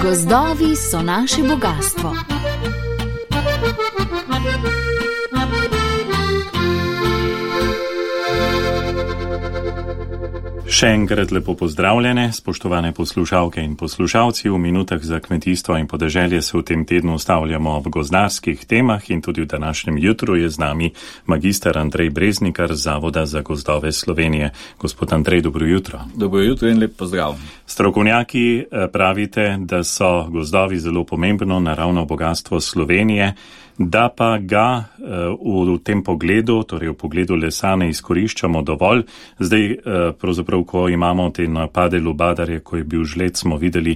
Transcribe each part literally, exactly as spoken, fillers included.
Gozdovi so naše bogastvo. Še enkrat lepo pozdravljene, spoštovane poslušalke in poslušalci. V minutah za kmetijstvo in podeželje se v tem tednu ustavljamo v gozdarskih temah in tudi v današnjem jutru je z nami magister Andrej Breznikar z Zavoda za gozdove Slovenije. Gospod Andrej, dobro jutro. Dobro jutro in lep pozdrav. Strokovnjaki pravite, da so gozdovi zelo pomembno naravno bogatstvo Slovenije, da pa ga v tem pogledu, torej v pogledu lesa, ne izkoriščamo dovolj. Zdaj, pravzaprav, ko imamo te napade lubadarje, ko je bil žled, smo videli,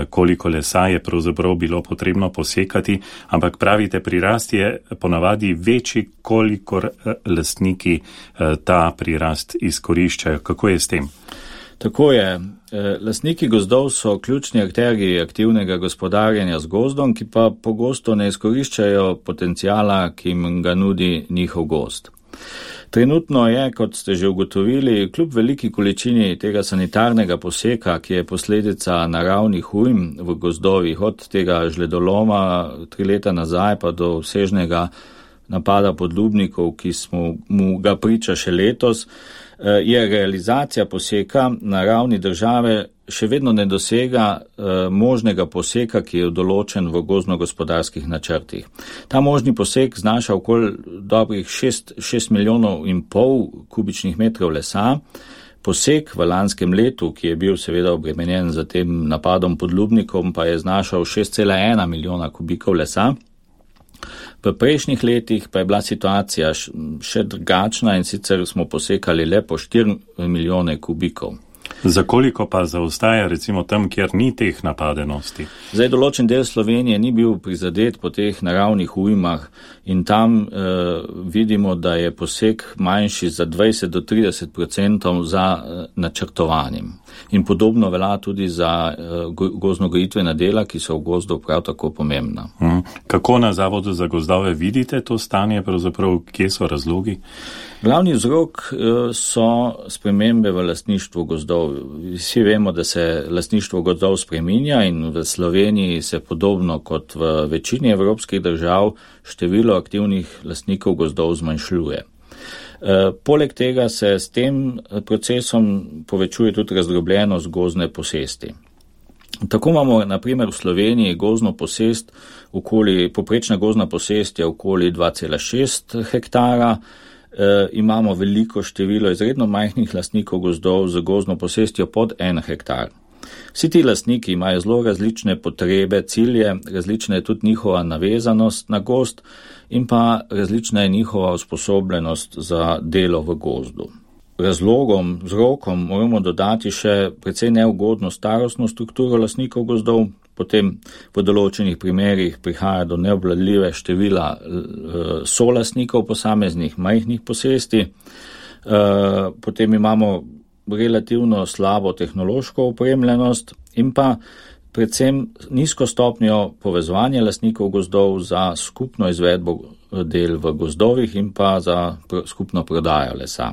koliko lesa je pravzaprav bilo potrebno posekati, ampak pravite, prirast je ponavadi večji, kolikor lastniki ta prirast izkoriščajo. Kako je s tem? Tako je. Lastniki gozdov so ključni akterji aktivnega gospodarjenja z gozdom, ki pa pogosto ne izkoriščajo potencijala, ki jim ga nudi njihov gozd. Trenutno je, kot ste že ugotovili, kljub veliki količini tega sanitarnega poseka, ki je posledica naravnih ujm v gozdovih, od tega žledoloma tri leta nazaj pa do obsežnega napada podlubnikov, ki smo mu ga priča še letos, je realizacija poseka na ravni države še vedno ne dosega možnega poseka, ki je določen v gozdno-gospodarskih načrtih. Ta možni posek znaša okoli dobrih šest milijonov in pol kubičnih metrov lesa. Posek v lanskem letu, ki je bil seveda obremenjen za tem napadom podlubnikom, pa je znašal šest cela ena milijona kubikov lesa. V prejšnjih letih pa je bila situacija še drugačna in sicer smo posekali le po štiri milijone kubikov. Za koliko pa zaostaja recimo tam, kjer ni teh napadenosti? Zdaj, določen del Slovenije ni bil prizadet po teh naravnih ujmah in tam eh, vidimo, da je posek manjši za dvajset do trideset odstotkov za eh, načrtovanjem. In podobno velja tudi za eh, gozdno-gojitvena dela, ki so v gozdu prav tako pomembna. Hmm. Kako na Zavodu za gozdove vidite to stanje, pravzaprav kje so razlogi? Glavni vzrok so spremembe v lastništvu gozdov. Vsi vemo, da se lastništvo gozdov spreminja in v Sloveniji se podobno kot v večini evropskih držav število aktivnih lastnikov gozdov zmanjšuje. Poleg tega se s tem procesom povečuje tudi razdrobljenost gozdne posesti. Tako imamo na primer v Sloveniji gozdno posest, okoli, poprečna gozdna posest je okoli dva cela šest hektara, E, imamo veliko število izredno majhnih lastnikov gozdov z gozdno posestjo pod en hektar. Vsi ti lastniki imajo zelo različne potrebe, cilje, različna je tudi njihova navezanost na gozd in pa različna je njihova usposobljenost za delo v gozdu. Razlogom, vzrokom moramo dodati še precej neugodno starostno strukturo lastnikov gozdov, potem v določenih primerih prihaja do neobvladljive števila solastnikov posameznih majhnih posesti, potem imamo relativno slabo tehnološko opremljenost in pa predvsem nizko stopnjo povezovanja lastnikov gozdov za skupno izvedbo del v gozdovih in pa za skupno prodajo lesa.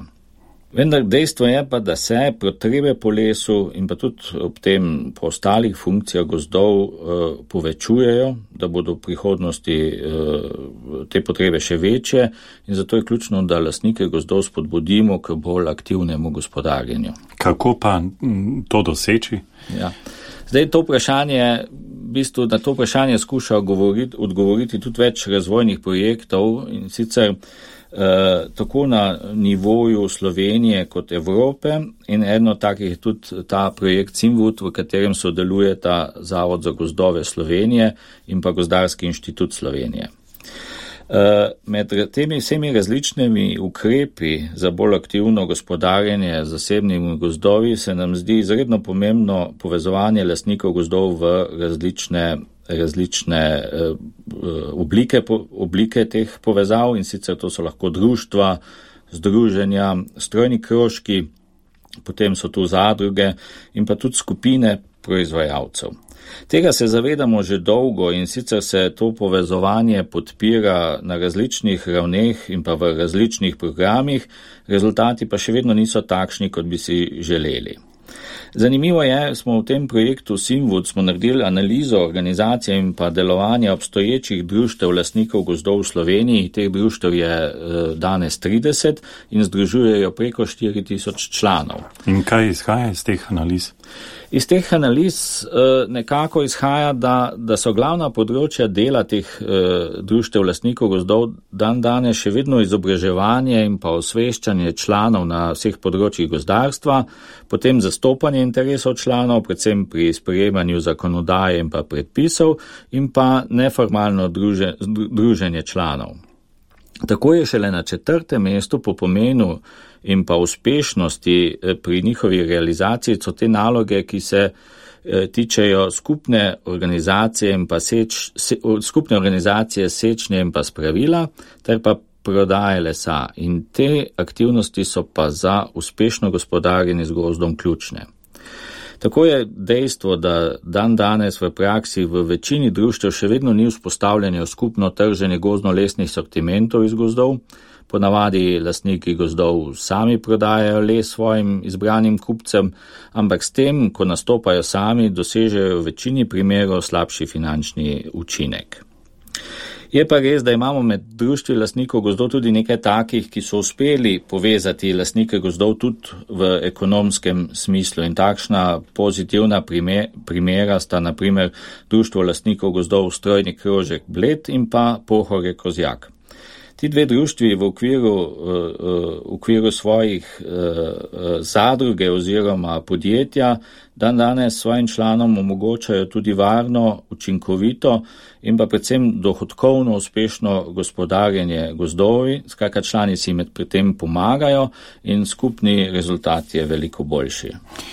Vendar dejstvo je pa, da se potrebe po lesu in pa tudi ob tem po ostalih funkcijah gozdov eh, povečujejo, da bodo v prihodnosti eh, te potrebe še večje in zato je ključno, da lastnike gozdov spodbudimo k bolj aktivnemu gospodarjenju. Kako pa to doseči? Ja. Zdaj to vprašanje, v bistvu na to vprašanje skuša odgovoriti, odgovoriti tudi več razvojnih projektov in sicer Uh, tako na nivoju Slovenije kot Evrope in eno takih je tudi ta projekt Cimvud, v katerem sodelujeta Zavod za gozdove Slovenije in pa Gozdarski inštitut Slovenije. Uh, med temi vsemi različnimi ukrepi za bolj aktivno gospodarjenje z zasebnimi gozdovi se nam zdi izredno pomembno povezovanje lastnikov gozdov v različne različne uh, oblike, oblike teh povezav in sicer to so lahko društva, združenja, strojni krožki, potem so tu zadruge in pa tudi skupine proizvajalcev. Tega se zavedamo že dolgo in sicer se to povezovanje podpira na različnih ravneh in pa v različnih programih, rezultati pa še vedno niso takšni, kot bi si želeli. Zanimivo je, smo v tem projektu Simwood smo naredili analizo organizacije in pa delovanja obstoječih društev lastnikov gozdov v Sloveniji. Teh društev je danes trideset in združujejo preko štiri tisoč članov. In kaj izhaja iz teh analiz? Iz teh analiz nekako izhaja, da, da so glavna področja dela teh društev lastnikov gozdov dan danes še vedno izobraževanje in pa osveščanje članov na vseh področjih gozdarstva, potem zastopanje interesov članov, predvsem pri sprejemanju zakonodaje in pa predpisov in pa neformalno druže, druženje članov. Tako je šele na četrtem mestu po pomenu in pa uspešnosti pri njihovi realizaciji so te naloge, ki se tičejo skupne organizacije in pa seč, se, skupne organizacije sečnje in pa spravila, ter pa prodaje lesa. In te aktivnosti so pa za uspešno gospodarjenje z gozdom ključne. Tako je dejstvo, da dan danes v praksi v večini društev še vedno ni vzpostavljeno skupno trženje gozdno-lesnih sortimentov iz gozdov. Ponavadi lastniki gozdov sami prodajajo les svojim izbranim kupcem, ampak s tem, ko nastopajo sami, dosežejo v večini primerov slabši finančni učinek. Je pa res, da imamo med društvi lastnikov gozdov tudi nekaj takih, ki so uspeli povezati lastnike gozdov tudi v ekonomskem smislu. In takšna pozitivna primer, primera sta na primer društvo lastnikov gozdov Strojni krožek Bled in pa Pohorje Kozjak. Ti dve društvi v okviru, v okviru svojih zadruge oziroma podjetja dan danes svojim članom omogočajo tudi varno, učinkovito in pa predvsem dohodkovno uspešno gospodarjenje gozdovi, skratka člani si med pri tem pomagajo in skupni rezultat je veliko boljši.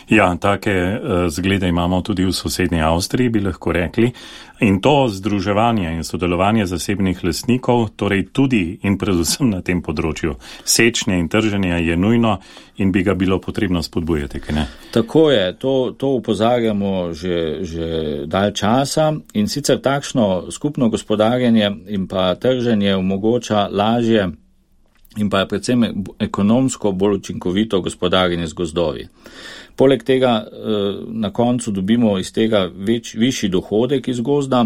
Ja, take uh, zglede imamo tudi v sosednji Avstriji, bi lahko rekli. In to združevanje in sodelovanje zasebnih lastnikov, torej tudi in predvsem na tem področju sečnje in trženja je nujno in bi ga bilo potrebno spodbujati, kaj ne? Tako je, to, to upozarjamo že, že dalj časa in sicer takšno skupno gospodarjenje in pa trženje omogoča lažje in pa predvsem ekonomsko bolj učinkovito gospodarjenje z gozdovi. Poleg tega na koncu dobimo iz tega več, višji dohodek iz gozda,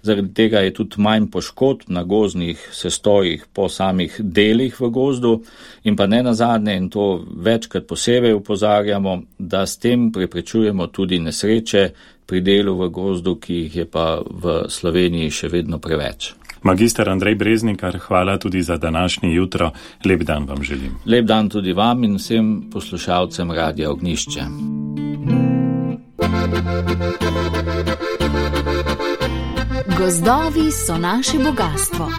zaradi tega je tudi manj poškodb na gozdnih sestojih po samih delih v gozdu in pa ne nazadnje, in to večkrat posebej upozarjamo, da s tem preprečujemo tudi nesreče pri delu v gozdu, ki jih je pa v Sloveniji še vedno preveč. Magister Andrej Breznikar, hvala tudi za današnje jutro. Lep dan vam želim. Lep dan tudi vam in vsem poslušalcem Radia Ognjišče. Gozdovi so naše bogatstvo.